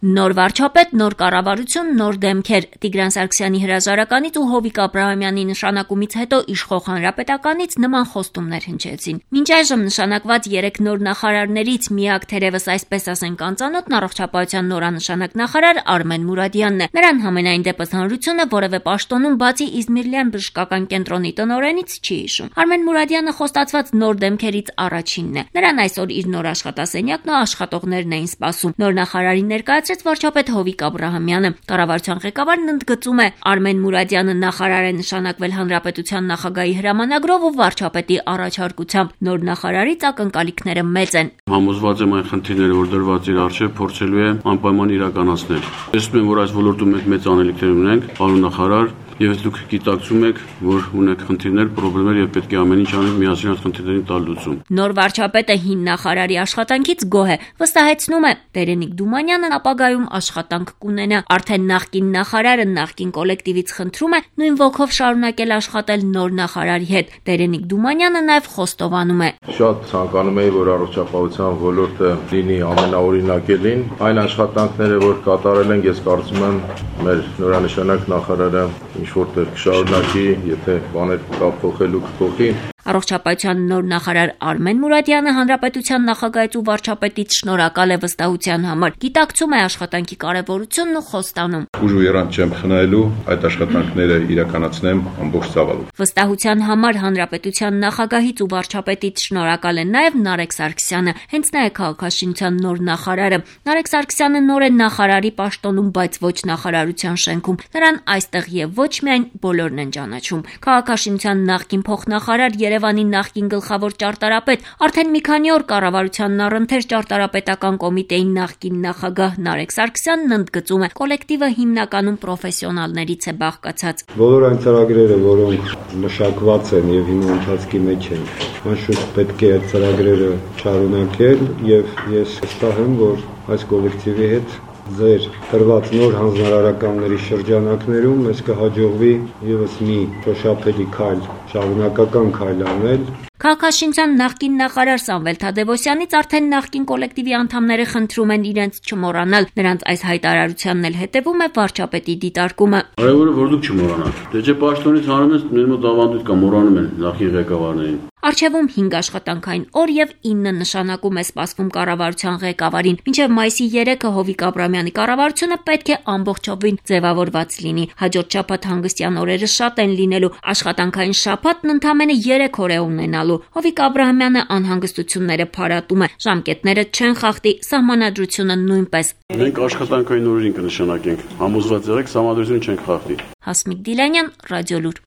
Նոր վարչապետ, նոր կառավարություն, նոր դեմքեր։ Տիգրան Սարգսյանի հրաժարականից ու Հովիկ Աբրահամյանի նշանակումից հետո իշխող հանրապետականից նման խոստումներ հնչեցին։ Մինչ այժմ նշանակված 3 նոր նախարարներից միակ թերևս այսպես ասենք անծանոթն առողջապահության նորանշանակ նախարար Արմեն Մուրադյանն է։ Նրան համենայն դեպս հանրությունը որևէ պաշտոնում բացի Իզմիրլյան բժշկական կենտրոնի տնօրենից չի հիշում։ Արմեն Մուրադյանը խոստացված նոր դեմքերից առաջինն է։ Նրան այսօր իր նոր աշխատասենյակն ու աշխատողներն էին սպասում։ Նոր նախարարի ներկայացրեց վարչապետ Հովիկ Աբրահամյանը։ Կառավարության ղեկավարն ընդգծում է, Արմեն Մուրադյանը նախարար է նշանակվել հանրապետության նախագահի հրամանագրով ու վարչապետի առաջարկությամբ։ Նոր նախարարից ակնկալիքները մեծ են։ Համոզված եմ այն խնդիրները, որ դրված իր առջև, փորձելու է անպայման իրականացնել։ Տեսնում եմ, որ այս ոլորտում մենք մեծ անելիքներ ունենք, պարոն նախարար, եւ դուք գիտակցում եք, որ ունեք խնդիրներ, խնդիրներ եւ պետք է ամեն ինչ անենք միասին այս խնդիրներին տալ լուծում։ Նոր վարչապետը հին նախարարի աշխատանքից գոհ է, վստահեցնում է, Տերենիկ Դումանյանն ապագայում աշխատանք կունենա։ Արդեն նախկին նախարարը նախկին կոլեկտիվից խնդրում է նույն ոգով շարունակել աշխատել նոր նախարարի հետ։ Տերենիկ Դումանյանը նաեւ խոստովանում է. Շատ ցանկանում էի, որ առողջապահության ոլորտը լինի ամենաօրինակելին։ Այն աշխատանքները, որ կատարել են, ես կարծում եմ, մեր նորանշանակ նախարարը ինչ-որտեղ կշարունակի, եթե բաներ կա փոխելու կփոխի։ Առողջապահության նոր նախարար Արմեն Մուրադյանը հանրապետության նախագահից ու վարչապետից շնորհակալ է վստահության համար։ Գիտակցում է աշխատանքի կարևորությունն ու խոստանում. Ուժ ու երանք չեմ խնայելու, այդ աշխատանքները իրականացնեմ ամբողջ ծավալով։ Վստահության համար հանրապետության նախագահից ու վարչապետից շնորհակալ է նաև Նարեկ Սարգսյանը։ Հենց նա է քաղաքաշինության նոր նախարարը։ Նարեկ Սարգսյանը նոր է նախարարի պաշտոնում, բայց ոչ նախարարության շենքում։ Նրան այստեղ եւ ոչ միայն բոլորն են ճանաչում։ Քաղաքաշինության նախկին փոխնախարար Երևանի նախկին գլխավոր ճարտարապետ, արդեն մի քանի օր կառավարությանն առընթեր ճարտարապետական կոմիտեի նախկին նախագահ Նարեկ Սարգսյանն ընդգծում է, կոլեկտիվը հիմնականում պրոֆեսիոնալներից է բաղկացած։ Բոլոր այն ծրագրերը, որոնք մշակված են եւ հիմա ընթացքի մեջ են, անշուշտ պետք է այդ ծրագրերը շարունակել եւ ես վստահ եմ, որ այս կոլեկտիվի հետ ձեր տրված նոր հանձնարարականների շրջանակներում մեզ կհաջողվի եւս մի շոշափելի քայլ, շարունակական քայլ անել։ Քաղաքաշինության նախկին նախարար Սամվել Թադևոսյանից արդեն նախկին կոլեկտիվի անդամները խնդրում են իրենց չմոռանալ։ Նրանց այս հայտարարությանն էլ հետևում է վարչապետի դիտարկումը։ Արևորը որ դուք չմոռանաք։ Դե չէ պաշտոնից հանում ես, մեր մոտ ավանդույթ կա, մոռանում են նախին ղեկավարներին։ Արչևում 5 աշխատանքային օր եւ 9 նշանակում է սպասվում կառավարության ղեկավարին։ Մինչեւ մայիսի 3-ը Հովիկ Աբրահամյանի կառավարությունը պետք է ամբողջովին ձևավորված լինի։ Հաջորդ շաբաթ հանգստյան օրերը շատ են լինելու։ Աշխատանքային շաբաթն ընդամենը 3 օր է ունենալու։ Հովիկ Աբրահամյանը անհանգստությունները փարատում է։ Ժամկետները չեն խախտի, սահմանադրությունը նույնպես։ Մենք աշխատանքային օրերին կնշանակենք։ Համոզված եղեք, սահմանադրությունը չենք խախտի։ Հասմիկ Դիլանյան, Ռադիոլուր։